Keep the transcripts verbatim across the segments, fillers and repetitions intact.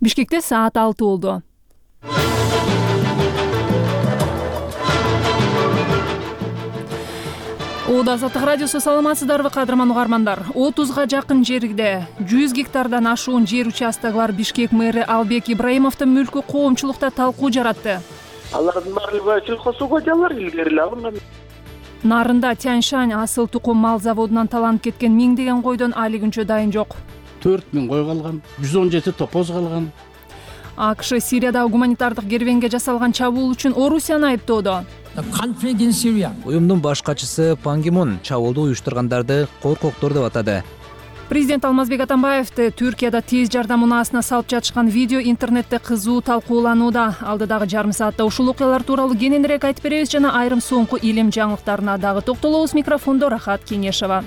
Бишкекте саат алты болду. Оода Азаттык радиосу, саламатсыздарбы кадырман угармандар. отузга жакын жерде жүз гектардан ашуун жер участогулар Бишкек мэри Албек Ибраимовдун мүлкү коомчулукта талкуу жаратты. Алардын баардыгы сельхозсууга жалар илгери эле алынган. Нарында Тяньшань асыл тукум мал заводунан таланып кеткен миңдеген койдон али күнчө дайын жок. төрт миң кой калган, жүз он жети топоз калган. АКШ Сириядагы гуманитардык кербенге жасалган чабуул үчүн Орусияны айыптоодо. Уюмдун баш катчысы Пан Ги Мун чабуулду уюштургандарды коркоктор деп атады. Президент Алмазбек Атамбаевди Түркияда тез жардам унаасына салып жатышкан видео интернетте кызуу талкууланууда. Алдыдагы жарым саатта ушул окуялар тууралуу кененирээк айтып беребиз жана айрым соңку илим жаңылыктарына дагы токтолобуз. Микрофондо Рахат Кеңешева.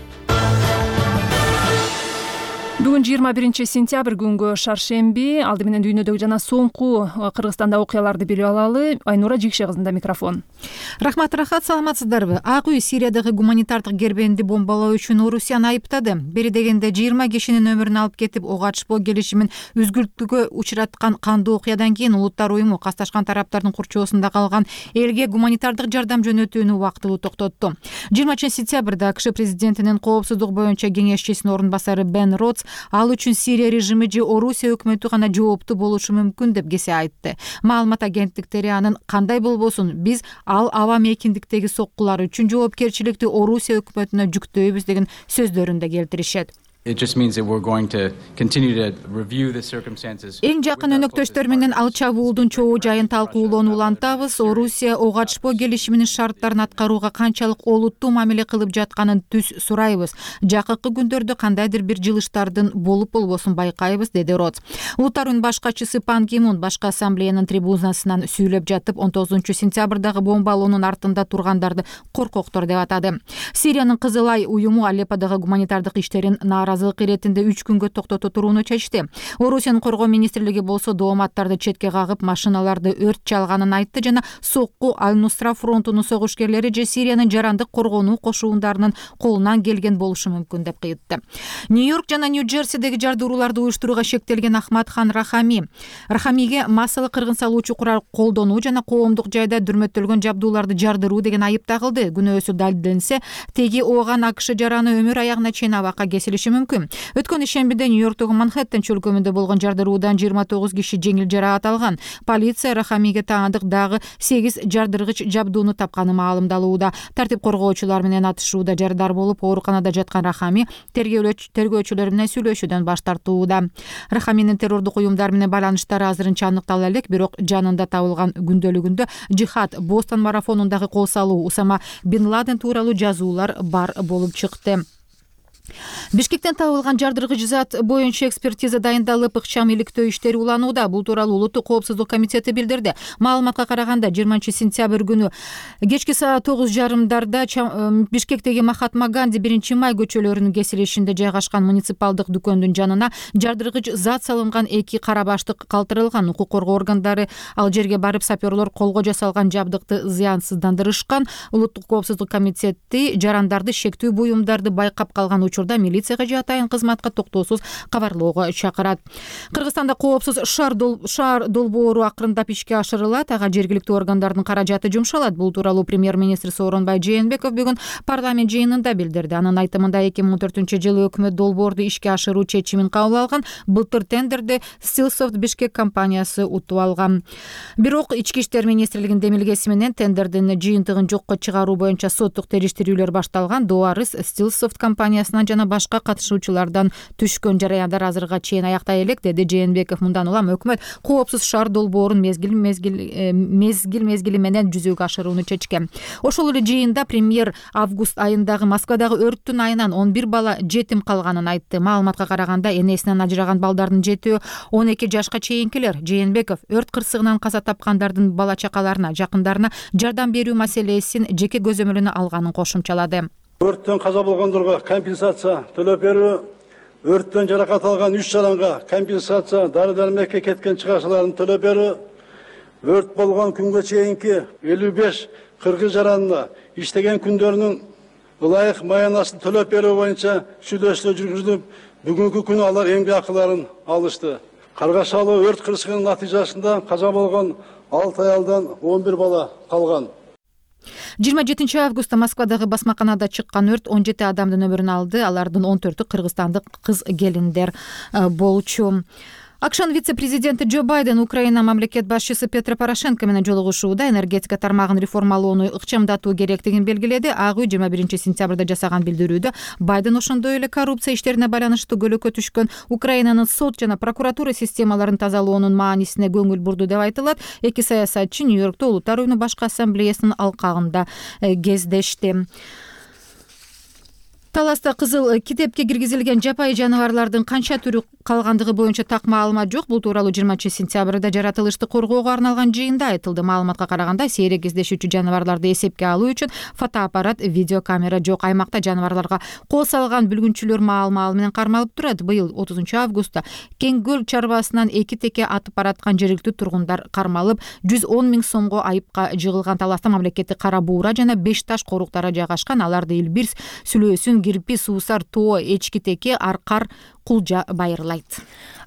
Бүгүн жыйырма биринчи сентябрь күнгө шаршемби. Алды менен дүйнөдөгү жана соңку Кыргызстанда окуяларды билип алалы. Айнура Жикше кызында микрофон. Рахмат, Рахат, саламатсыздарбы? Ак үй Сириядагы гуманитардык кербенди бомбалоо үчүн Орусияны айыптады. Бери дегенде жыйырма кишинин өмүрүн алып кетип, ого ачпоо келишимин үзгүлтүүгө учураткан кандуу окуядан кийин Улуттар уюму касташкан тараптардын курчоосунда калган элге гуманитардык жардам жөнөтүүнү убактылуу токтотту. жыйырманчы сентябрда АКШ президентинин коопсуздук боюнча кеңешчисинин орун басары Бен Ротс ал үчүн Сирия режими же Орусия өкмөтү гана жооптуу болушу мүмкүн деп кесе айтты. Маалымат агенттиктери анын кандай болбосун биз ал аба мейкиндиктеги соккулар үчүн жоопкерчиликти Орусия өкмөтүнө жүктөйбүз деген сөздөрүндө келтиришет. It just means that we're going to continue to review the circumstances. Эң жакын өнөктөштөр менен ал чабуулдун чоо жайын талкуулоону улантабыз. Орусия ого ачпоо келишиминин шарттарын аткарууга канчалык олуттуу мамиле кылып жатканын түз сурайбыз. Жакынкы күндөрдө кандайдыр бир жылыштардын болуп болбосун байкайбыз, деди Ротс. Улуттар уюмунун баш катчысы Пан Ги Мун башкы ассамблеянын трибунасынан сүйлөп жатып, он тогузунчу сентябрдагы бомбалоонун артында тургандарды коркоктор деп атады. Сириянын Кызыл Ай уюму Алепподагы гуманитардык иштерин наразылык иретинде үч күнгө токтото турууну чечти. Орусиянын коргоо министрлиги болсо дооматтарды четке кагып, машиналарды өрт чалганын айтты жана сокку Аль-Нусра фронтунун согушкерлери же Сириянын жарандык коргонуу кошуундарынын колунан келген болушу мүмкүн деп кыйтты. Нью-Йорк жана Нью-Джерсидеги жардырууларды уюштурууга шектелген Ахмад Хан Рахами Рахамиге массалык кыргын салуучу курал колдонуу жана коомдук жайда дүрмөттөлгөн жабдууларды жардыруу деген айып тагылды. Күнөөсү далилденсе, теги ооган АКШ жараны өмүр аягына чейин абакка кесилиши мүмкүн. Өткөн ишембиде Нью-Йорктогу Манхэттен чөлкөмүндө болгон жардыруудан жыйырма тогуз киши жеңил жараат алган. Полиция Рахамиге таандык дагы сегиз жардыргыч жабдууну тапканы маалымдалууда. Тартип коргоочулар менен атышууда жардар болуп, ооруканада жаткан Рахами тергөөчүлөр менен сүйлөшүүдөн баш тартууда. Рахаминин террордук уюмдар менен байланыштары азырынча аныктала элек, бирок жанында табылган күндөлүгүндө Жихад Бостон марафонундагы кол салуу, Усама Бин Ладен тууралуу жазуулар бар болуп чыкты. Бишкектен табылган жардыргыч зат боюнча экспертиза дайындалып, ыкчам иликтөө иштери уланууда. Бул тууралуу Улуттук коопсуздук комитети билдирди. Маалыматка караганда жыйырманчы сентябрь күнү кечки саат тогуз жарымдарда Бишкектеги Махатма Ганди биринчи май көчөлөрүнүн кесилишинде жайгашкан муниципалдык дүкөндүн жанына жардыргыч зат салынган эки кара баштык калтырылган. Укук коргоо органдары ал жерге барып, саперлор колго жасалган жабдыкты зыянсыздандырышкан. Улуттук коопсуздук комитети жарандарды, шектүү буюмдарды байкап калган учурда милицияга же атайын кызматка токтоосуз кабарлоого чакырат. Кыргызстанда коопсуз шаар долбоору акырындап ишке ашырылат. Ага жергиликтүү органдардын каражаты жумшалат. Бул тууралуу премьер-министр Сооронбай Жээнбеков бүгүн парламент жыйынында билдирди. Анын айтымында эки миң он төртүнчү жылы өкмөт долбоорду ишке ашыруу чечимин кабыл алган. Былтыр тендерди Stillsoft Бишкек компаниясы утуп алган. Бирок ички иштер министрлигинин демилгеси менен тендердин жыйынтыгын жокко чыгаруу боюнча соттук териштирүүлөр башталган. Дуарыс Stillsoft компаниясынан жана башка катышуучулардан түшкөн жараяндар азырга чейин аяктай элек, деди Жээнбеков. Мындан улам өкмөт коопсуз шаар долбоорун мезгил мезгил мезгил мезгили менен жүзөгө ашырууну чечкен. Ошол эле жыйында премьер август айындагы Москвадагы өрттүн айынан он бир бала жетим калганын айтты. Маалыматка караганда энесинен ажыраган балдардын жетөө он эки жашка чейинкилер. Жээнбеков өрт кырсыгынан каза тапкандардын бала чакаларына, жакындарына жардам берүү маселесин жеке көзөмөлүнө алганын кошумчалады. Өрттөн каза болгондорго компенсация төлөп берүү, өрттөн жаракат алган үч жаранга компенсация, дары-дармекке кеткен чыгашаларын төлөп берүү, өрт болгон күнгө чейинки элүү беш кыргыз жаранына иштеген күндөрүнүн ылайык маянасын төлөп берүү боюнча сүйлөшүүлөр жүргүзүлүп, бүгүнкү күнү алар эмгек акыларын алышты. Каргашалы өрт кырсыгынын натыйжасында каза болгон алты аялдан он бир бала калган. жыйырма жетинчи августта Москвадагы басмаканада чыккан өрт он жети адамдын өмүрүн алды. Алардын он төртү кыргызстандык кыз келиндер болчу. АКШнын вице-президенти Джо Байден Украина мамлекет башчысы Петро Порошенко менен жолугушууда энергетика тармагын реформалоону ыкчамдатуу керектигин белгиледи. Ак үй жыйырма биринчи сентябрда жасаган билдирүүдө Байден ошондой эле коррупция иштерине байланыштуу көлөкө түшкөн Украинанын сот жана прокуратура системаларын тазалоонун маанисине көңүл бурду деп айтылат. Эки саясатчы Нью-Йоркто Улуттар уюмунун башкы ассамблеясынын алкагында кездешти. Таласта кызыл китепке киргизилген жапайы жаныбарлардын канча түрү калгандыгы боюнча так маалымат жок. Бул тууралуу жыйырманчы сентябрда жаратылышты коргоого арналган жыйында айтылды. Маалыматка караганда, сейрек кездешүүчү жаныбарларды эсепке алуу үчүн фотоаппарат, видеокамера жок. Аймакта жаныбарларга кол салган бүлгүнчүлөр маал-маал менен кармалып турат. Быйыл отузунчу августта Кеңгөл чарбасынан эки теке атып бараткан жергиликтүү тургундар кармалып, жүз он миң сомго айыпка жыгылган. Таласта мамлекеттик кара буура жана беш таш коруктары жайгашкан. Аларды Илбирс, Сүлөөсүн, Кирпи, Суусар, Тоо, Эчкитеке, Аркар, Кулжа байырлайт.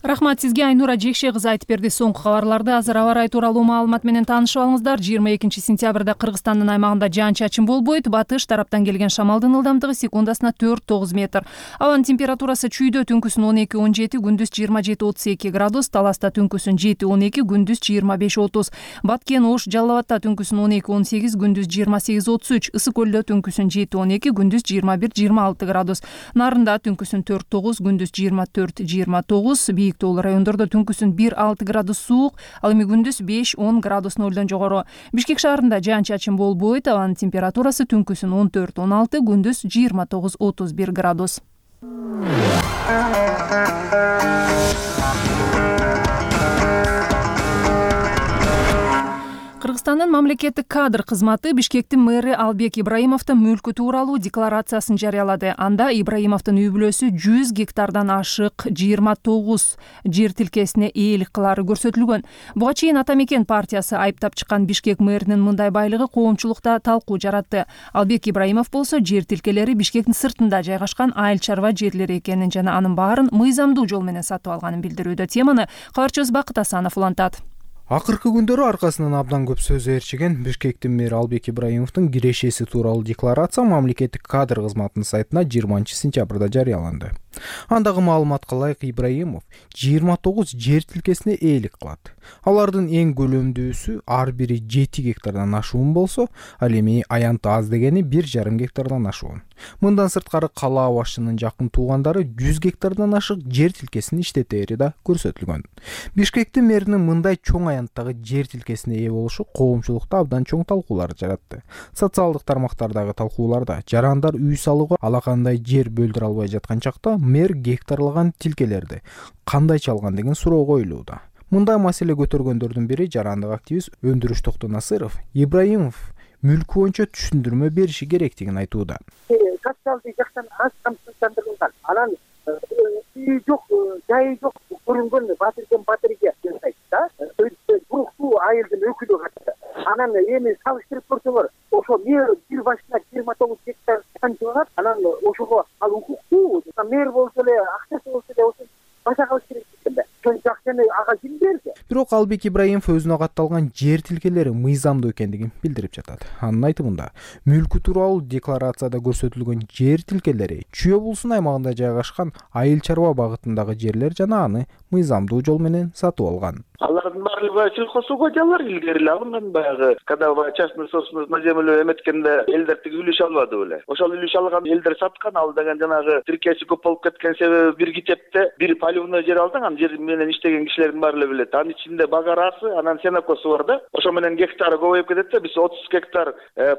Рахмат сизге, Айнура Жекше кызы айтып берди. Соңку кабарларды азыр аба ырайы тууралуу маалымат менен таанышып алыңыздар. жыйырма экинчи сентябрда Кыргызстандын аймагында жаан-чачын болбойт. Батыш тараптан келген шамалдын ылдамдыгы секундасына төрт тогуз метр. Абанын температурасы чүйдө түнкүсүн он эки он жети, күндүз жыйырма жети отуз эки градус, Таласта түнкүсүн жети он эки, күндүз жыйырма беш отуз. Баткен, Ош, Жалал Абадта түнкүсүн он эки он сегиз, күндүз жыйырма сегиз отуз үч. Ысык көлдө түнкүсүн жети он эки, күндүз жыйырма бир жыйырма алты градус. Нарында түнкүсүн төрт тогуз, күндүз жыйырма төрт жыйырма тогуз. Бийик тоолуу райондордо түнкүсүн бир алты градус суук, ал эми күндүз беш он градус нолдон жогору. Бишкек шаарында жаан-чачын болбойт. Абанын температурасы түнкүсүн он төрт он алты, күндүз жыйырма тогуз отуз бир градус. Кыргызстандын мамлекеттик кадр кызматы Бишкектин мэри Албек Ибраимовдун мүлкү тууралуу декларациясын жарыялады. Анда Ибраимовдун үй бүлөсү жүз гектардан ашык жыйырма тогуз жер тилкесине ээлик кылары көрсөтүлгөн. Буга чейин Ата Мекен партиясы айыптап чыккан Бишкек мэринин мындай байлыгы коомчулукта талкуу жаратты. Албек Ибраимов болсо жер тилкелери Бишкектин сыртында жайгашкан айыл чарба жерлери экенин жана анын баарын мыйзамдуу жол менен сатып алганын билдирүүдө. Теманы кабарчыбыз Бакыт Асанов улантат. Акыркы күндөрү аркасынан абдан көп сөз ээрчиген Бишкектин мэри Албек Ибраимовдун кирешеси тууралуу декларация мамлекеттик кадр кызматынын сайтына жыйырманчы сентябрда жарыяланды. Андагы маалыматка ылайык Ибраимов жыйырма тогуз жер тилкесине ээлик кылат. Алардын эң көлөмдүүсү ар бири жети гектардан ашуун болсо, ал эми аянты аз дегени бир жарым гектардан ашуун. Мындан сырткары калаа башчынын жакын туугандары жүз гектардан ашык жер тилкесин иштетери да көрсөтүлгөн. Бишкектин мэринин мындай чоң аянттагы жер тилкесине ээ болушу коомчулукта абдан чоң талкуулар жаратты. Социалдык тармактардагы талкууларда жарандар үй салууга алакандай жер бөлдүрө албай жаткан чакта мэр гектарлаган тилкелерди кандайча алган деген суроо коюлууда. Мындай маселе көтөргөндөрдүн бири жарандык активист Өндүрүш Токтонасыров Ибраимов мүлкү боюнча түшүндүрмө бериши керектигин айтууда. Капиталды жактан аз камсыздандырылган, анан үй жок, жайы жок көрүнгөн батырген батырге жасайт да. Буруктуу айылдын өкүлү катты. Анан эми салыштырып көрсөңөр, ошо мэр бир башына жыйырма тогуз гектар канчалат, анан ошого ал укуктуу, мэр болсо эле, акчасы болсо эле ошо баша кылыш керек экен. Сончо акчаны ага ким берди? Бирок Албек Ибраимов өзүнө катталган жер тилкелери мыйзамдуу экендигин билдирип жатат. Анын айтымында, мүлкү тууралуу декларацияда көрсөтүлгөн жер тилкелери Чүй облусунун аймагында жайгашкан айыл чарба багытындагы жерлер жана аны мыйзамдуу жол менен сатып алган. Алардын баардыгы сельхозугодиялар илгери эле алынган, баягы когда частный собственность на землю эметкенде элдер тиги үлүш албады беле. Ошол үлүш алган элдер саткан, ал деген жанагы тиркеси көп болуп кеткен себеби бир китепте бир поливной жер алдың, анан жер менен иштеген кишилердин баары эле билет. Анын ичинде багарасы, анан сенокосу бар да. Ошо менен гектары көбөйүп кетет да, биз отуз гектар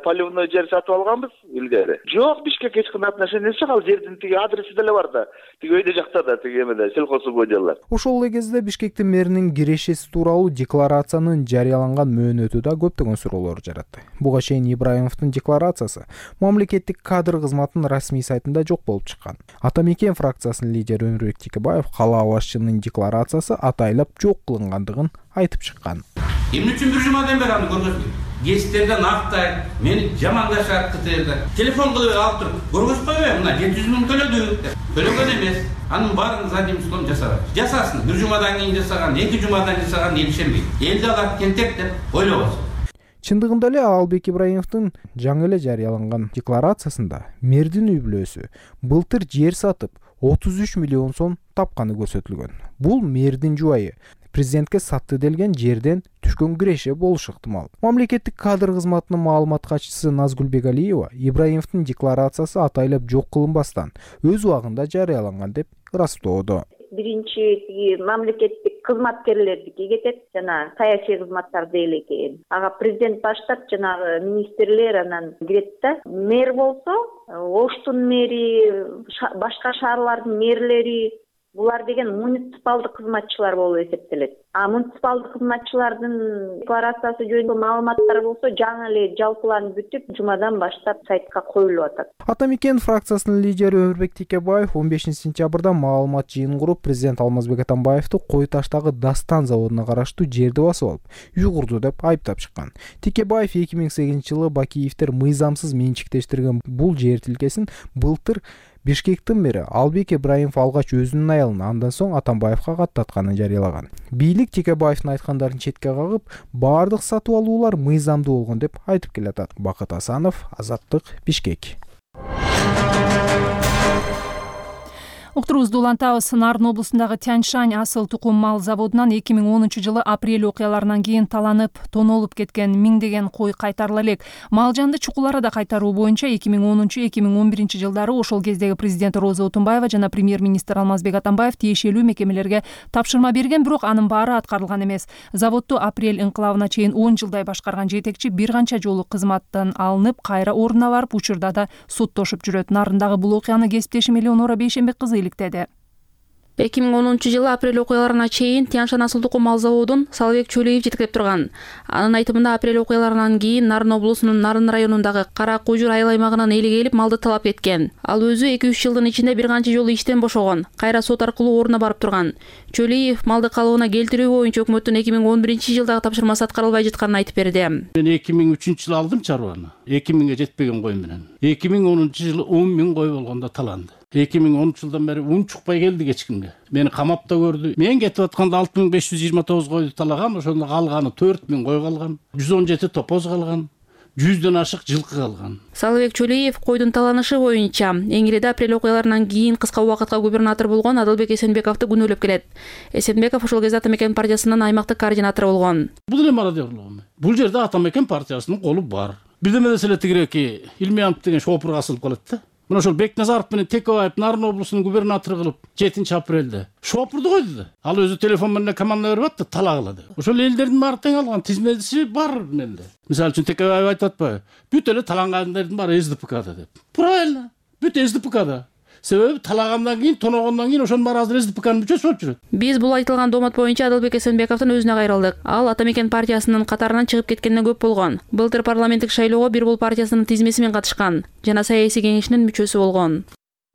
поливной жер сатып алганбыз илгери. Жок, Бишкек эч кандай отношениясы жок, ал жердин тиги адреси деле бар да. Тиги өйдө жакта да тиги эмеде сельхозугодиялар. Ошол эле кезде Бишкектин мэринин кирешеси тууралуу декларациянын жарыяланган мөөнөтү да көптөгөн суроолор жаратты. Буга чейин Ибраимовдун декларациясы мамлекеттик кадр кызматынын расмий сайтында жок болуп чыккан. Ата Мекен фракциясынын лидери Өмүрбек Текебаев калаа башчынын декларациясы атайлап жок кылынгандыгын айтып чыккан. Эмне үчүн бир жумадан бери аны көргөзбөйт? гесттерден актайт, мени жамандашат кытайда. Телефон кылып алып туруп, көргөз койбойм, мына жети жүз миң төлөдү деп. Төлөгөн эмес. Анын баарын задним числом жасабайт. Жасасын, бир жумадан кийин жасаган, эки жумадан жасаган эл ишенбейт. Элди алат тентек деп ойлобосун. Чындыгында эле Албек Ибраимовдун жаңы эле жарыяланган декларациясында мэрдин үй бүлөсү былтыр жер сатып отуз үч миллион сом тапканы көрсөтүлгөн. Бул мэрдин жубайы президентке сатты делген жерден түшкөн киреше болушу ыктымал. Мамлекеттик кадр кызматынын маалымат катчысы Назгүл Бегалиева Ибраимовдун декларациясы атайлап жок кылынбастан өз убагында жарыяланган деп ырастоодо. Биринчи тиги мамлекеттик кызматкерлердики кетет, жана саясий кызматтар дейли экен. Ага президент баштап жанагы министрлер анан кирет да. Мэр болсо, Оштун мэри, башка шаарлардын мэрлери, булар деген муниципалдык кызматчылар болуп эсептелет. А муниципалдык кызматчылардын декларациясы жөнүндө маалыматтар болсо жаңы эле жалпыланып бүтүп, жумадан баштап сайтка коюлуп атат. Ата Мекен фракциясынын лидери Өмүрбек Текебаев он бешинчи сентябрда маалымат жыйын куруп, президент Алмазбек Атамбаевди Кой таштагы Дастан заводуна караштуу жерди басып алып, үй курду деп айыптап чыккан. Текебаев эки миң сегизинчи жылы Бакиевдер мыйзамсыз менчиктештирген бул жер тилкесин былтыр Бишкектин мэри Албек Ибраимов алгач өзүнүн аялына, андан соң Атамбаевга каттатканын жарыялаган. Бийлик Текебаевдин айткандарын четке кагып, баардык сатып алуулар мыйзамдуу болгон деп айтып келатат. Бакыт Асанов, Азаттык, Бишкек. Уктурубузду улантабыз. Нарын облусундагы Тяньшань асыл тукум мал заводунан эки миң онунчу жылы апрель окуяларынан кийин таланып, тонолуп кеткен миңдеген кой кайтарыла элек. Мал жанды чукуларда кайтаруу боюнча эки миң онунчу эки миң он биринчи жылдары ошол кездеги президент Роза Отунбаева жана премьер-министр Алмазбек Атамбаев тиешелүү мекемелерге тапшырма берген, бирок анын баары аткарылган эмес. Заводду апрель инкылабына чейин он жылдай башкарган жетекчи бир канча жолу кызматтан алынып, кайра ордуна барып, учурда да соттошуп жүрөт. Нарындагы бул окуяны кесиптешим Элеонора Бейшенбек кызы иликтеди. эки миң онунчу жылы апрель окуяларына чейин Тяньшань асыл тукум мал заводун Салыбек Чөлөев жетектеп турган. Анын айтымында апрель окуяларынан кийин Нарын облусунун Нарын районундагы Кара Кужур айыл аймагынан эли келип малды талап эткен. Ал өзү эки үч жылдын ичинде бир канча жолу иштен бошогон, кайра сот аркылуу ордуна барып турган. Чөлөев малды калыбына келтирүү боюнча өкмөттүн эки миң он биринчи жылдагы тапшырмасы аткарылбай жатканын айтып берди. Мен эки миң үчүнчү жылы алдым чарбаны. эки миңге жетпеген кой менен. эки миң онунчу жылы он миң кой болгондо таланды. эки миң онунчу жылдан бери ун чукпай келди кечкимге. Мени камапта көрдү. Мен кетип атканда алты миң беш жүз жыйырма тогуз койду талаган, ошондо калганы төрт миң кой калган, жүз он жети топоз калган, жүздөн ашык жылкы калган. Салыбек Чөлөев койдун таланышы боюнча Эңиреде апрель окуяларынан кийин кыска убакытка губернатор болгон Адылбек Эсенбековду күнөөлөп келет. Эсенбеков ошол кезде Ата Мекен партиясынын аймактык координатору болгон. Бул эле мародёрлугу. Бул жерде Ата Мекен партиясынын колу бар. Бирдеме деле тигиреки Илмиянов деген шопурга асылып калат да. Мына ошол Бекназаров менен Текебаев Нарын облусунун губернатору кылып жетинчи апрелде шопурду койду да. Ал өзү телефон менен команда берип атты, талагыла деп. Ошол элдердин баары тең алган тизмеси бар менде. Мисалы үчүн Текебаев айтып атпайбы? Бүт эле талагандардын баары СДПКда деп. Правильно. Бүт СДПКда. Себеби талагандан кийин, тоногондон кийин ошонун баары азыр СДПКнын мүчөсү болуп жүрөт. Биз бул айтылган доомат боюнча Адылбек Эсенбековдун өзүнө кайрылдык. Ал Ата Мекен партиясынын катарынан чыгып кеткенден көп болгон. Былтыр парламенттик шайлоого Бир Бул партиясынын тизмеси менен катышкан жана саясий кеңешинин мүчөсү болгон.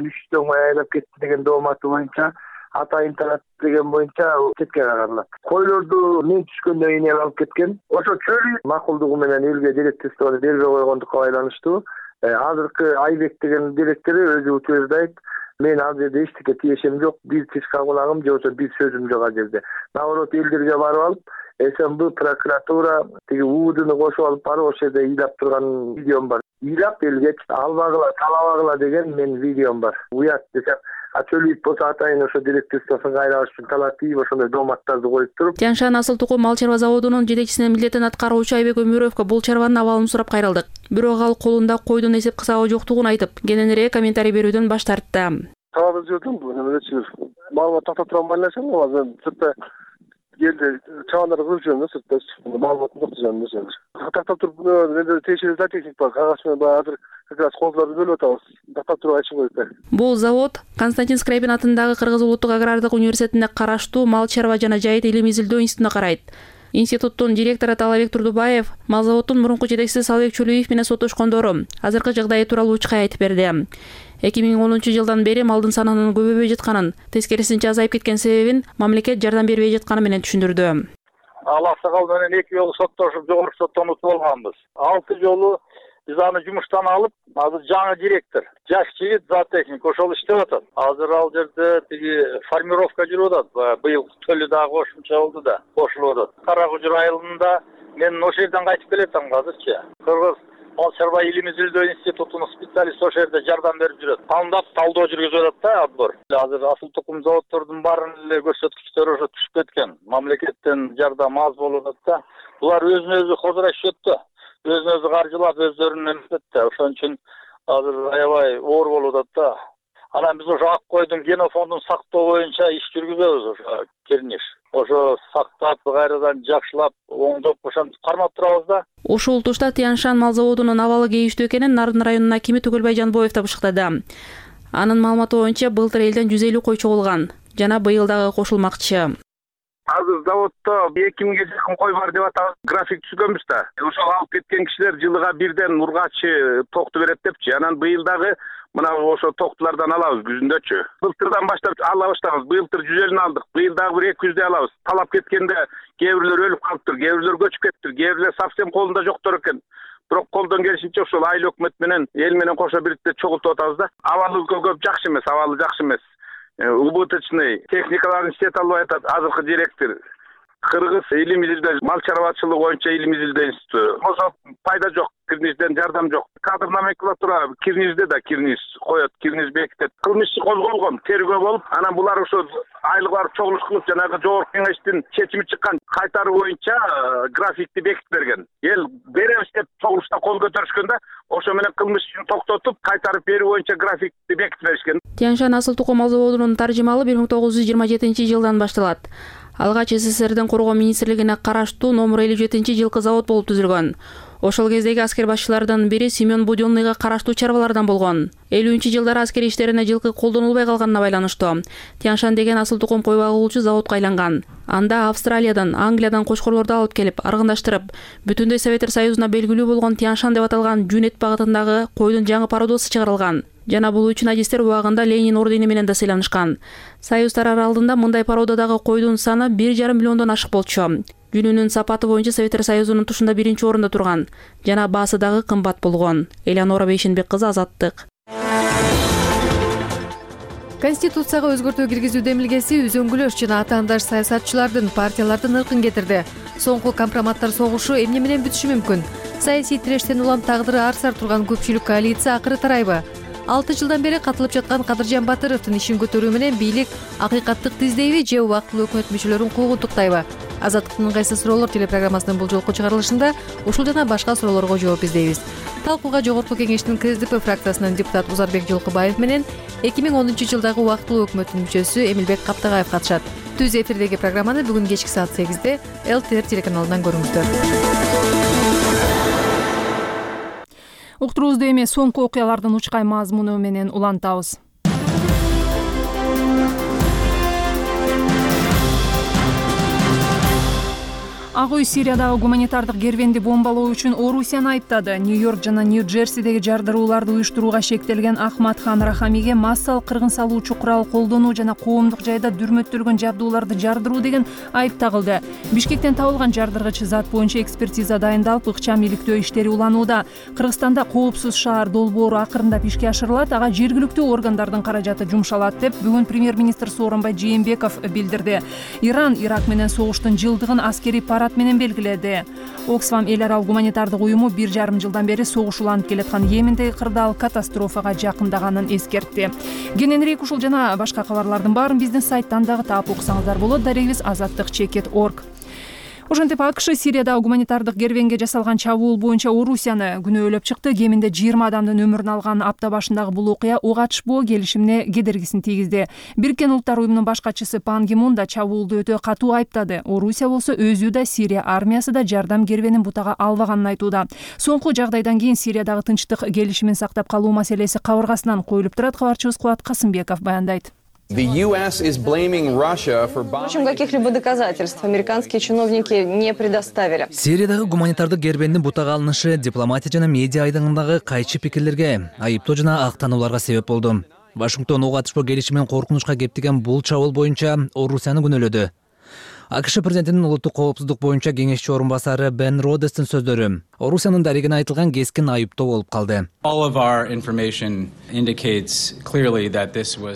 Үчтөн айлап кетти деген дооматы боюнча атайын талап деген боюнча четке кагылат. Койлорду мен түшкөндөн кийин эл алып кеткен. Ошо чөлү макулдугу менен элге директорствону бербей койгондукка байланыштуу. Азыркы Айбек деген директори өзү утверждайт, мен ал жерде эчтеке тиешем жок, бир тишка кулагым же болбосо бир сөзүм жок ал жерде. Наоборот, элдерге барып алып, СМБ прокуратура тиги УУДны кошуп алып барып ошол жерде ыйлап турган видеом бар. Ыйлап элге албагыла, талабагыла деген мен видеом бар. Уят десем, а Чөлөев болсо атайын ошо директорствосун кайра алыш үчүн талап кийип ошондой дооматтарды коюп туруп. Тяньшань асыл тукум мал чарба заводунун жетекчисинин милдетин аткаруучу Айбек Өмүрөевгө бул чарбанын абалын сурап кайрылдык. Бирок ал колунда койдун эсеп кысабы жоктугун айтып, кененирээк комментарий берүүдөн баш тартты. Талап жүрдүм, эмелечи маалымат тактап турган байлашам, азыр сыртта келди, чабандарды кырып жүрөм да сыртта. Маалымат жок дегенде. Тактап туруп, менде тиешелүү техник бар, кагаз менен азыр как раз колдорду бөлүп атабыз. Тактап туруп айтышым керек. Бул завод Константин Скрябин атындагы Кыргыз улуттук агрардык университетине караштуу мал чарба жана жайыт илим изилдөө институтуна карайт. Институттун директору Талабек Турдубаев мал заводдун мурунку жетекчиси Салыбек Чөлөев менен соттошкондору азыркы жагдайы тууралуу учка айтып берди. эки миң онунчу жылдан бери малдын санынын көбөйбөй жатканын, тескерисинче азайып кеткен себебин мамлекет жардам бербей жатканы менен түшүндүрдү. Ал аксакал менен эки жолу соттошуп жогорку соттон утуп алганбыз. Алты жолу биз аны жумуштан алып, азыр жаңы директор, жаш жигит, зоотехник ошол иштеп атат. Азыр ал жерде тиги формировка жүрүп атат. Быйыл төлү дагы кошумча болду да, кошулуп атат. Кара Кужур айылында мен ошол жерден кайтып келатам азырчы. Кыргыз Мал чарба илим изилдөө институтунун специалисти ошол жерде жардам берип жүрөт. Кандап талдоо жүргүзүп атат да отбор. Азыр асыл тукум заводдордун баарынын эле көрсөткүчтөрү ошо түшүп кеткен. Мамлекеттен жардам аз болуп атат да. Булар өзүнө өзү козурашып да. Өзүнө өзү каржылап өздөрүнүн эмесет да. Ошон үчүн азыр аябай оор болуп атат да. Анан биз ошо ак койдун генофондун сактоо боюнча иш жүргүзөбүз ошо Кирниш. Ошо сактап, кайрадан жакшылап, оңдоп, ошентип кармап турабыз да. Ушул тушта Тянь-Шань мал заводунун абалы кейиштүү экенин Нарын районунун акими Түгөлбай Жанбоев табыштыктады. Анын маалыматы боюнча былтыр элден жүз элүү кой чогулган жана быйыл дагы кошулмакчы. Азыр заводдо эки миңге жакын кой бар деп атабыз. График түзгөнбүз да. Ошол алып кеткен кишилер жылыга бирден ургачы токту берет депчи. Анан быйыл дагы мына ошо токтулардан алабыз күзүндөчү. Былтырдан баштап ала баштабыз. Былтыр жүз элүүнү алдык. Быйыл дагы бир эки жүздөй алабыз. Талап кеткенде кээ бирлер өлүп калыптыр, кээ бирлер көчүп кетиптир, кээ бирлер совсем колунда жоктор экен. Бирок колдон келишинче ошол айыл өкмөт менен эл менен кошо бириктеп чогултуп атабыз да. Абалы көп жакшы эмес, абалы жакшы эмес. Убыточный техникаларын иштете албай атат азыркы директор. Кыргыз илим изилдөө мал чарбачылыгы боюнча илим изилдөө институту. Ошо пайда жок, Кирнижден жардам жок. Кадр номенклатура Кирнижде да Кирниз коет, Кирниз бекитет. Кылмыш иши козголгон, тергөө болуп, анан булар ошо айлык барып чогулуш кылып жанагы жогорку кеңештин чечими чыккан кайтаруу боюнча графикти бекитип берген. Эл беребиз деп чогулушта кол көтөрүшкөн да, ошо менен кылмыш ишин токтотуп, кайтарып берүү боюнча графикти бекитип беришкен. Тянь-Шань асыл тукум мал заводунун таржымалы бир миң тогуз жүз жыйырма жетинчи жылдан башталат. Алгач СССРдин коргоо министрлигине караштуу номер элүү жетинчи жылкы завод болуп түзүлгөн. Ошол кездеги аскер башчылардан бири Семен Будённыйга караштуу чарбалардан болгон. элүүнчү жылдары аскер иштерине жылкы колдонулбай калганына байланыштуу Тянь-Шань деген асыл тукум кой багуулчу заводко айланган. Анда Австралиядан, Англиядан кочкорлорду алып келип, аргындаштырып, бүтүндөй Советтер Союзуна белгилүү болгон Тянь-Шань деп аталган жүн эт багытындагы койдун жаңы пародосы чыгарылган. Жана бул үчүн адистер убагында Ленин ордени менен да сыйланышкан. Союздар аралыгында мындай пародадагы койдун саны бир жарым миллиондон ашык болчу. Жүнүнүн сапаты боюнча Советтер Союзунун тушунда биринчи орунда турган жана баасы дагы кымбат болгон. Элеонора Бейшенбек кызы, Азаттык. Конституцияга өзгөртүү киргизүү демилгеси үзөңгүлөш жана атаандаш саясатчылардын, партиялардын ыркын кетирди. Соңку компроматтар согушу эмне менен бүтүшү мүмкүн? Саясий тирештен улам тагдыры ар-сар турган көпчүлүк коалиция акыры тарайбы? алты жылдан бери катылып жаткан Кадыржан Батыровдун ишин көтөрүү менен бийлик акыйкаттык издейби же убактылуу өкмөт мүчөлөрүн куугунтуктайбы? Азаттыктын ыңгайсыз суроолор телепрограммасынын бул жолку чыгарылышында ушул жана башка суроолорго жооп издейбиз. Талкууга Жогорку Кеңештин КСДП фракциясынын депутаты Узарбек Жолкубаев менен эки миң онунчу жылдагы убактылуу өкмөттүн мүчөсү Эмилбек Каптагаев катышат. Түз эфирдеги программаны бүгүн кечки саат сегизде эл ти эр телеканалынан көрүңүздөр. Уктуруубузду эми соңку окуялардын учкай мазмуну менен улантабыз. Ак үй Сириядагы гуманитардык кервенди бомбалоо үчүн Орусияны айыптады. Нью-Йорк жана Нью-Джерсидеги жардырууларды уюштурууга шектелген Ахмад Хан Рахамиге массалык кыргын салуучу курал колдонуу жана коомдук жайда дүрмөттөлгөн жабдууларды жардыруу деген айып тагылды. Бишкектен табылган жардыргыч зат боюнча экспертиза дайындалып, ыкчам иликтөө иштери уланууда. Кыргызстанда коопсуз шаар долбоору акырындап ишке ашырылат, ага жергиликтүү органдардын каражаты жумшалат деп бүгүн премьер-министр Сооронбай Жээнбеков билдирди. Иран Ирак менен согуштун жылдыгын аскерий парад менен белгиледи. Оксфам эл аралык гуманитардык уюму бир жарым жылдан бери согуш уланып келаткан Йемендеги кырдаал катастрофага жакындаганын эскертти. Кененирээк ушул жана башка кабарлардын баарын биздин сайттан дагы таап окусаңыздар болот. Дарегибиз азаттык чекит точка орг. Ошентип АКШ Сириядагы гуманитардык кервенге жасалган чабуул боюнча Орусияны күнөөлөп чыкты. Кеминде жыйырма адамдын өмүрүн алган апта башындагы бул окуя ок атышпоо келишимине кедергисин тийгизди. Бириккен Улуттар уюмунун баш катчысы Пан Ги Мун да чабуулду өтө катуу айыптады. Орусия болсо өзү да Сирия армиясы да жардам кервенин бутага албаганын айтууда. Соңку жагдайдан кийин Сириядагы тынчтык келишимин сактап калуу маселеси кабыргасынан коюлуп турат. Кабарчыбыз Кубат Касымбеков баяндайт. Впрочем, каких-либо доказательств американские чиновники не предоставили. Сириядагы гуманитардык кервендин бутага алынышы дипломатия жана медиа айдыңындагы кайчы пикирлерге, айыптоо жана актанууларга себеп болду. Вашингтон ок атышпоо келишимин коркунучка кептеген бул чабуул боюнча Орусияны күнөөлөдү. АКШ президентинин улуттук коопсуздук боюнча кеңешчи орун басары Бен Родестин сөздөрү Орусиянын дарегине айтылган кескин айыптоо болуп калды.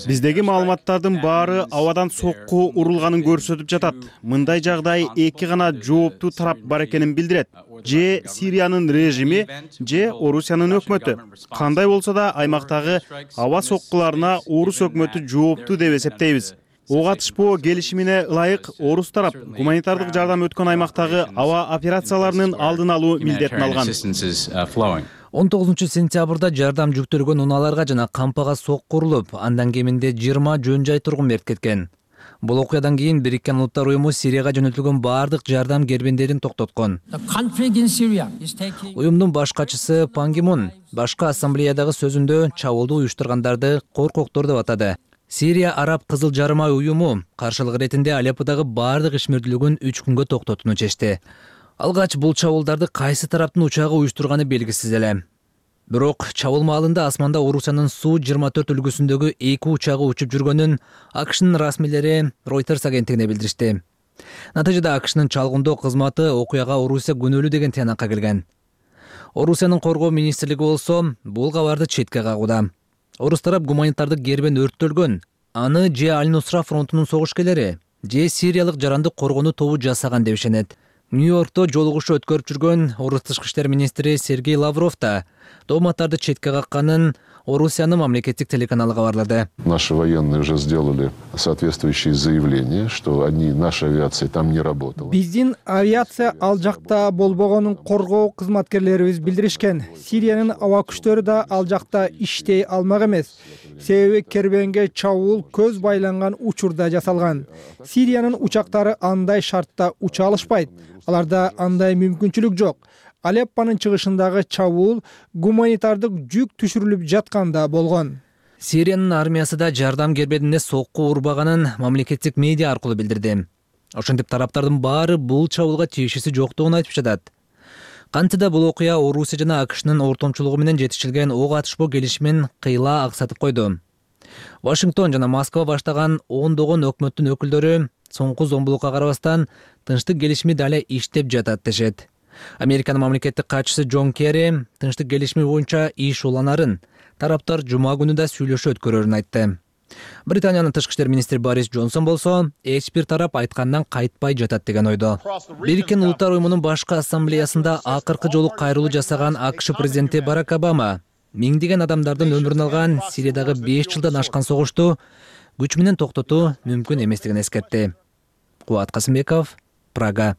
Биздеги маалыматтардын баары абадан сокку урулганын көрсөтүп жатат. Мындай жагдай эки гана жооптуу тарап бар экенин билдирет. Же Сириянын режими, же Орусиянын өкмөтү. Кандай болсо да аймактагы аба соккуларына Орус өкмөтү жооптуу деп эсептейбиз. Ого атышпоо келишимине ылайык Орус тарап гуманитардык жардам өткөн аймактагы аба операцияларынын алдын алуу милдетин алган. он тогузунчу сентябрда жардам жүктөлгөн унааларга жана кампага сокку урулуп, андан кеминде жыйырма жөн жай тургун мерт кеткен. Бул окуядан кийин Бириккен Улуттар Уюму Сирияга жөнөтүлгөн баардык жардам кербендерин токтоткон. Уюмдун баш катчысы Пан Ги Мун башкы ассамблеядагы сөзүндө чабуулду уюштургандарды коркоктор деп атады. Сирия Араб Кызыл Жарым ай уюму каршылык иретинде Алепподагы баардык ишмердүүлүгүн үч күнгө токтотууну чечти. Алгач бул чабуулдарды кайсы тараптын учагы уюштурганы белгисиз эле. Бирок чабуул маалында асманда Орусиянын Су жыйырма төрт үлгүсүндөгү эки учагы учуп жүргөнүн АКШнын расмийлери Reuters агенттигине билдиришти. Натыйжада АКШнын чалгындоо кызматы окуяга Орусия күнөөлүү деген тыянакка келген. Орусиянын коргоо министрлиги болсо бул кабарды четке кагууда. Орус тарап гуманитардык кербен өрттөлгөн, аны же Аль-Нусра фронтунун согушкерлери, же сириялык жарандык коргонуу тобу жасаган деп ишенет. Нью-Йоркто жолугушуу өткөрүп жүргөн Орус тышкы иштер министри Сергей Лавров да дооматтарды четке какканын Орусиянын мамлекеттик телеканалы кабарлады. Наши военные уже сделали соответствующие заявления, что они, наша авиация там не работала. Биздин авиация ал жакта болбогонун коргоо кызматкерлерибиз билдиришкен. Сириянын аба күчтөрү да ал жакта иштей алмак эмес. Себеби кербенге чабуул көз байланган учурда жасалган. Сириянын учактары андай шартта уча алышпайт. Аларда андай мүмкүнчүлүк жок. Алеппанын чыгышындагы чабуул гуманитардык жүк түшүрүлүп жатканда болгон. Сириянын армиясы да жардам кербедине сокку урбаганын мамлекеттик медиа аркылуу билдирди. Ошентип тараптардын баары бул чабуулга тиешеси жоктугун айтып жатат. Кантида бул окуя Орусия жана АКШнын ортомчулугу менен жетишилген ого атышпоо келишимин кыйла аксатып койду. Вашингтон жана Москва баштаган ондогон өкмөттүн өкүлдөрү соңку зомбулукка карабастан тынчтык келишими дале иштеп жатат дешет. Американын мамлекеттик катчысы Джон Керри тынчтык келишими боюнча иш уланарын, тараптар жума күнү да сүйлөшүү өткөрөрүн айтты. Британиянын тышкы иштер министри Борис Джонсон болсо, эч бир тарап айткандан кайтпай жатат деген ойдо. Бириккен Улуттар Уюмунун башкы ассамблеясында акыркы жолу кайрылуу жасаган АКШ президенти Барак Обама миңдеген адамдардын өмүрүн алган Сириядагы беш жылдан ашкан согушту күч менен токтотуу мүмкүн эместигин эскертти. Кубат Касымбеков, Прага.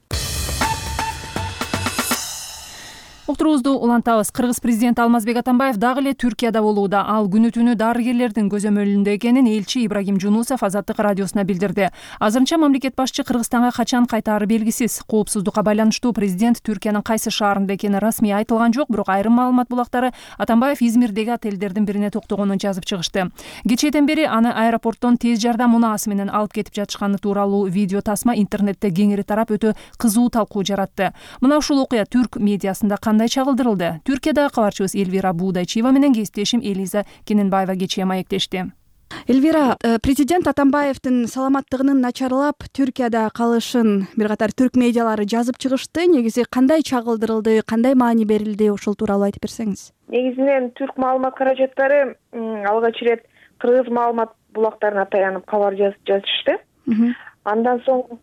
Уктуруубузду улантабыз. Кыргыз президенти Алмазбек Атамбаев дагы эле Түркияда болууда. Ал күнү түнү дарыгерлердин көзөмөлүндө экенин элчи Ибрагим Жунусов Азаттык радиосуна билдирди. Азырынча мамлекет башчы Кыргызстанга качан кайтаары белгисиз. Коопсуздукка байланыштуу президент Түркиянын кайсы шаарында экени расмий айтылган жок, бирок айрым маалымат булактары Атамбаев Измирдеги отелдердин бирине токтогонун жазып чыгышты. Кечээден бери аны аэропорттон тез жардам унаасы менен алып кетип жатышканы тууралуу видео тасма интернетте кеңири тарап өтө кызуу талкуу жаратты. Мына ушул окуя түрк медиасында кандай чагылдырылды? Түркиядагы кабарчыбыз Эльвира Буудайчиева менен кесиптешим Элиза Кененбаева кечээ маектешти. Эльвира, президент Атамбаевдин саламаттыгынын начарлап Түркияда калышын бир катар түрк медиалары жазып чыгышты. Негизи кандай чагылдырылды, кандай маани берилди, ошол тууралуу айтып берсеңиз. Негизинен түрк маалымат каражаттары алгач ирет кыргыз маалымат булактарына таянып кабар жазышты. Андан соң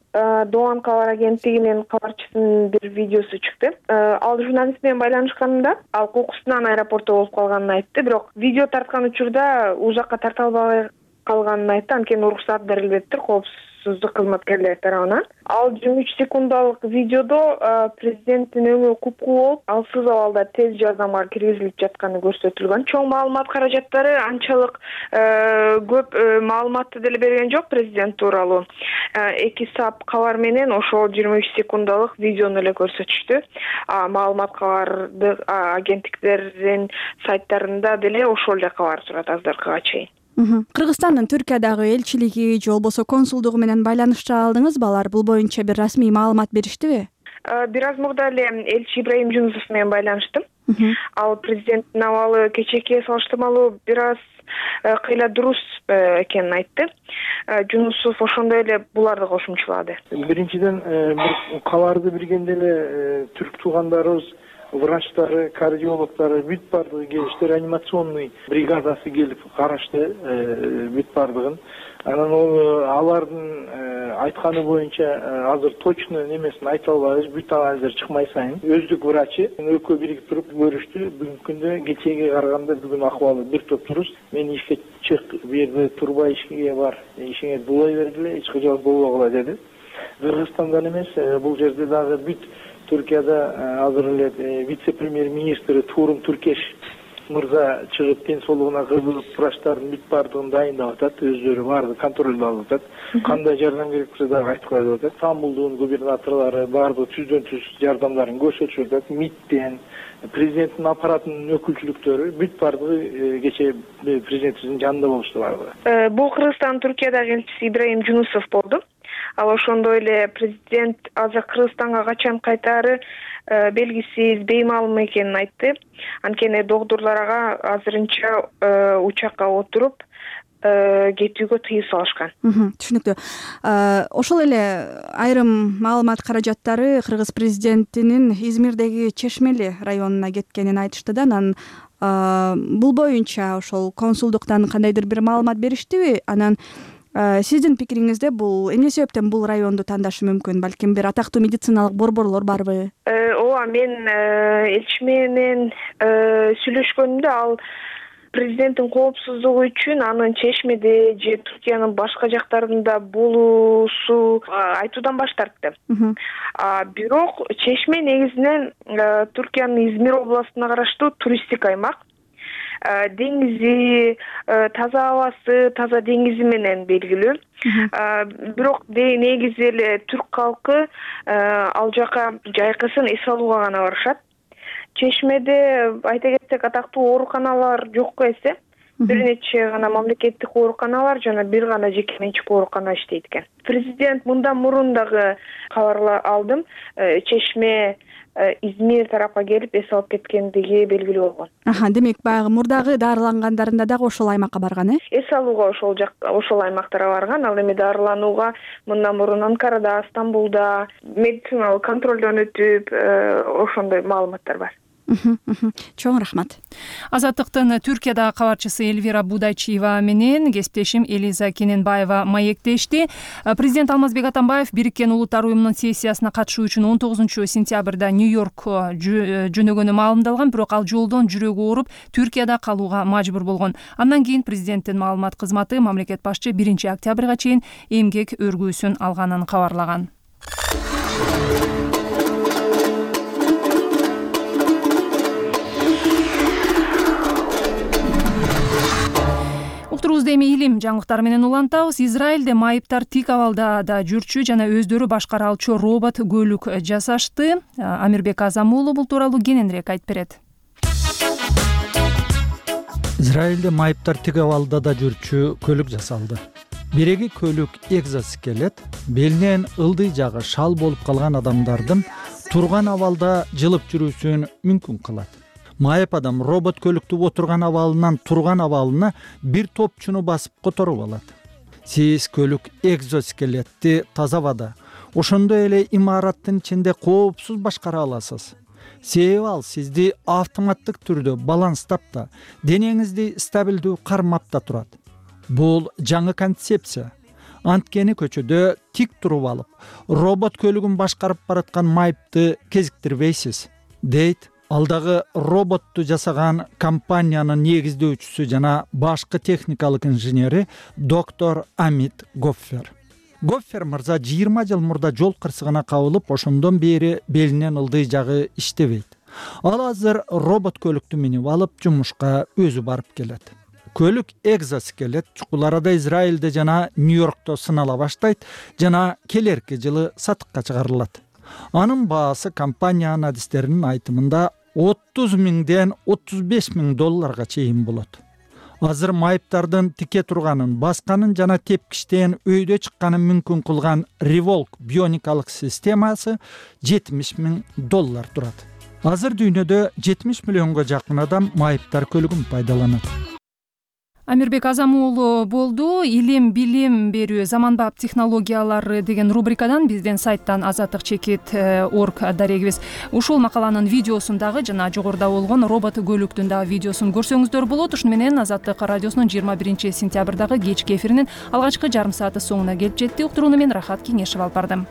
Doğan кабар агенттигинин кабарчысынын бир видеосу чыкты. Ал журналист менен байланышканында ал кокусунан аэропортто болуп калганын айтты, бирок видео тарткан учурда у жакка тарта албай калганын айтты. Анткени уруксат берилбептир коопсуздук кызматкерлери тарабынан. Ал жыйырма үч секундалык видеодо президенттин өңү купкуу болуп, алсыз абалда тез жардамга киргизилип жатканы көрсөтүлгөн. Чоң маалымат каражаттары анчалык көп маалыматты деле берген жок президент тууралуу. Эки сап кабар менен ошол жыйырма үч секундалык видеону эле көрсөтүштү. Маалымат кабарды агенттиктердин сайттарында деле ошол эле кабар турат азыркыга чейин. Кыргызстандын Түркиядагы элчилиги же болбосо консулдугу менен байланышта алдыңызбы? Алар бул боюнча бир расмий маалымат бериштиби? бир аз мурда эле элчи Ибраим Жунусов менен байланыштым. Ал президенттин абалы кечээкиге салыштырмалуу бир аз кыйла дурус экенин айтты. Жунусов ошондой эле буларды кошумчалады. Биринчиден бир кабарды билгенде эле түрк туугандарыбыз, врачтары, кардиологдору бүт бардыгы келишти, реанимационный бригадасы келип карашты бүт бардыгын. Анан ол алардын айтканы боюнча азыр точно немесин айта албайбыз, бүт анализдер чыкмай сайын өздүк врачы экөө биригип туруп көрүштү. Бүгүнкү күндө кечээге караганда бүгүн акыбалы бир топ туруз. Мен ишке чык, бу жерде турбай ишке бар, ишиңе булай бергиле, эч кыжал болбогула деди. Кыргызстандан эмес, бул жерде дагы бүт Түркияда азыр эле вице-премьер-министри Турум Туркеш мырза чыгып ден соолугуна кызыгып врачтардын бүт бардыгын дайындап атат, өздөрү баарды контролдо алып атат. Кандай жардам керек болсо дагы айтып коюп атат. Стамбулдун губернаторлору баардыгы түздөн түз жардамдарын көрсөтүп атат. МИДтен, президенттин аппаратынын өкүлчүлүктөрү бүт бардыгы кечээ президентибиздин жанында болушту бардыгы. Бул Кыргызстандын Түркиядагы элчиси Ибраим Жунусов болду. Ал ошондой эле президент азыр Кыргызстанга качан кайтаары белгисиз, беймалым экенин айтты. Анткени доктурлар ага азырынча учакка отуруп кетүүгө тыюу салышкан. Түшүнүктүү. Ошол эле айрым маалымат каражаттары Кыргыз президентинин Измирдеги Чешмели районуна кеткенин айтышты да, анан бул боюнча ошол консулдуктан кандайдыр бир маалымат бериштиби? Анан сиздин пикириңизде бул эмне себептен бул районду тандашы мүмкүн? Балким бир атактуу медициналык борборлор барбы? Ооба, мен элчи менен сүйлөшкөнүмдө ал президенттин коопсуздугу үчүн анын Чешмеде же Түркиянын башка жактарында болуусу айтуудан баш тартты. Бирок Чешме негизинен Түркиянын Измир областына караштуу туристтик аймак. Деңизи, таза абасы, таза деңизи менен белгилүү. Бирок негизи эле түрк калкы ал жака жайкысын эс алууга гана барышат. Чешмеде айта кетсек атактуу ооруканалар жокко эсе. Бир нече гана мамлекеттик ооруканалар жана бир гана жеке менчик оорукана иштейт экен. Президент мындан мурун дагы кабар алдым. Чешме Измир тарапка келип эс алып кеткендиги белгилүү болгон. Аха, демек баягы мурдагы дарылангандарында дагы ошол аймакка барган, э? Эс алууга ошол жак, ошол аймактарга барган. Ал эми дарыланууга мындан мурун Анкарада, Стамбулда медициналык контролдон өтүп, ошондой маалыматтар бар. Чоң рахмат. Азаттыктын Түркиядагы кабарчысы Эльвира Будайчиева менен кесиптешим Элиза Кененбаева маектешти. Президент Алмазбек Атамбаев Бириккен Улуттар уюмунун сессиясына катышуу үчүн он тогузунчу сентябрда Нью-Йорк жөнөгөнү маалымдалган, бирок ал жолдон жүрөгү ооруп Түркияда калууга мажбур болгон. Андан кийин президенттин маалымат кызматы мамлекет башчы биринчи октябрга чейин эмгек өргүүсүн алганын кабарлаган. Уктурубузду эми илим жаңылыктары менен улантабыз. Израилде майыптар тик абалда да жүрчү жана өздөрү башкара алчу робот көлүк жасашты. Амирбек Азам уулу бул тууралуу кененирээк айтып берет. Израилде майыптар тик абалда да жүрчү көлүк жасалды. Биреги көлүк экзоскелет, белинен ылдый жагы шал болуп калган адамдардын турган абалда жылып жүрүүсүн мүмкүн кылат. Майып адам робот көлүктү отурган абалынан турган абалына бир топчуну басып которуп алат. Сиз көлүк экзоскелетти таза абада, ошондой эле имараттын ичинде коопсуз башкара аласыз. Себеби ал сизди автоматтык түрдө баланстап да, денеңизди стабилдүү кармап да турат. Бул жаңы концепция. Анткени көчөдө тик туруп алып, робот көлүгүн башкарып бараткан майыпты кезиктирбейсиз, дейт алдагы роботту жасаган компаниянын негиздөөчүсү жана башкы техникалык инженери доктор Амит Гоффер. Гоффер мырза жыйырма жыл мурда жол кырсыгына кабылып, ошондон бери белинен ылдый жагы иштебейт. Ал азыр робот көлүктү минип алып жумушка өзү барып келет. Көлүк экзоскелет чукул арада Израилде жана Нью-Йоркто сынала баштайт жана келерки жылы сатыкка чыгарылат. Анын баасы компаниянын адистеринин айтымында отуз миңден отуз беш миң долларга чейин болот. азыр майыптардын тике турганын, басканын жана тепкичтен өйдө чыкканын мүмкүн кылган Revolk бионикалык системасы жетимиш миң доллар турат. Азыр дүйнөдө жетимиш миллионго жакын адам майыптар көлүгүн пайдаланат. Амирбек Азам уулу болду. Илим, билим берүү, заманбап технологиялары деген рубрикадан биздин сайттан азаттык чекит орг дарегибиз. Ушул макаланын видеосун дагы жана жогоруда болгон робот көлүктүн дагы видеосун көрсөңүздөр болот. Ушуну менен Азаттык радиосунун жыйырма биринчи сентябрдагы кечки эфиринин алгачкы жарым сааты соңуна келип жетти. Уктурууну мен Рахат Кеңешев алып бардым.